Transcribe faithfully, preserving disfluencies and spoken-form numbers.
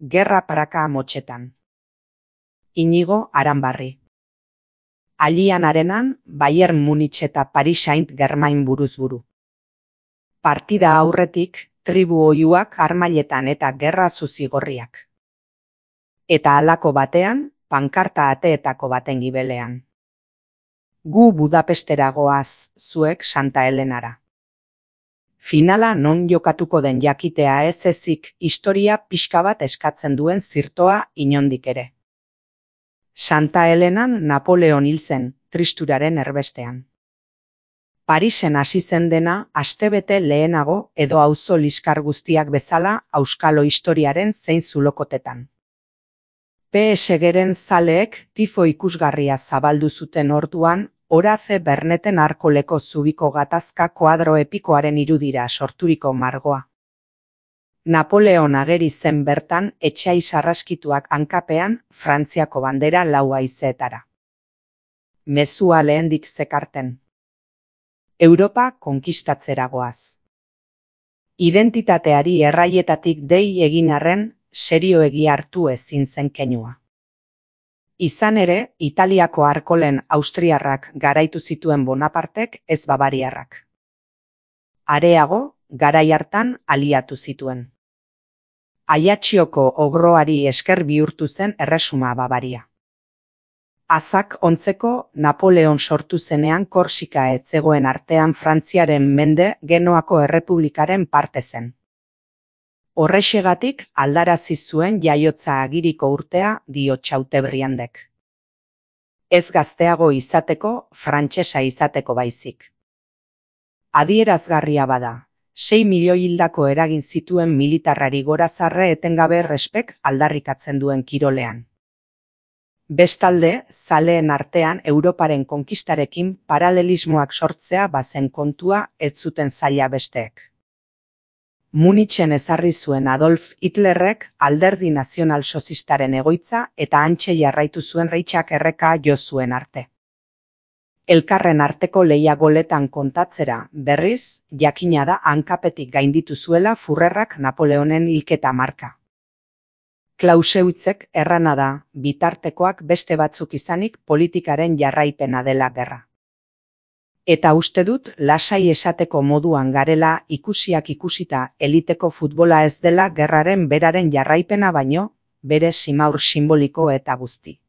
Gerra praka motxetan. Inigo Aranbarri. Alian arenan, Bayern Munich eta Paris Saint-Germain buruz buru. Partida aurretik, tribu oihuak armailetan eta gerra zuzigorriak. Eta halako batean, pankarta ateetako baten gibelean. Gu Budapestera goaz, zuek Santa Helenara. Finala non jokatuko den jakitea ez ezik historia pixka bat eskatzen duen zirtoa inondik ere. Santa Helenan Napoleon hil zen, tristuraren erbestean. Parisen hasi zen dena astebete lehenago edo auzo liskar guztiak bezala auskalo historiaren zein zulokotetan. P S Geren zaleek tifo ikusgarria zabaldu zuten orduan, Horace Berneten arkoleko zubiko gatazka koadro epikoaren irudira sorturiko margoa. Napoleon ageri zen bertan etxai sarraskituak hankapean Frantziako bandera lau haizeetara. Mezua lehendik zekarten. Europa konkistatzera goaz. Identitateari erraietatik dei egin arren, serioegi hartu ezin zen keinua. Izan ere, Italiako arkolen austriarrak garaitu zituen Bonapartek ez bavariarrak. Areago, garai hartan aliatu zituen. Aiatxioko ogroari esker bihurtu zen erresuma Bavaria. Azak ontzeko Napoleon sortu zenean Korsika ez zegoen artean Frantziaren mende Genoako errepublikaren parte zen. Horrexegatik aldarazi zuen jaiotza agiriko urtea dio Chateaubriandek. Ez gazteago izateko, frantsesa izateko baizik. Adierazgarria bada, sei milioi hildako eragin zituen militarrari gorazarre etengabe respek aldarrikatzen duen kirolean. Bestalde, zaleen artean Europaren konkistarekin paralelismoak sortzea bazen kontua ez zuten zaila besteek. Munichen ezarri zuen Adolf Hitlerrek alderdi nazional-sozistaren egoitza eta hantxe jarraitu zuen Reichak erreka jo zuen arte. Elkarren arteko lehia goletan kontatzera, berriz, jakina da hankapetik gainditu zuela Führerrak Napoleonen hilketa marka. Clausewitzek errana da, bitartekoak beste batzuk izanik politikaren jarraipena dela gerra. Eta uste dut lasai esateko moduan garela ikusiak ikusita eliteko futbola ez dela gerraren beraren jarraipena baino, bere simaur simboliko eta guzti.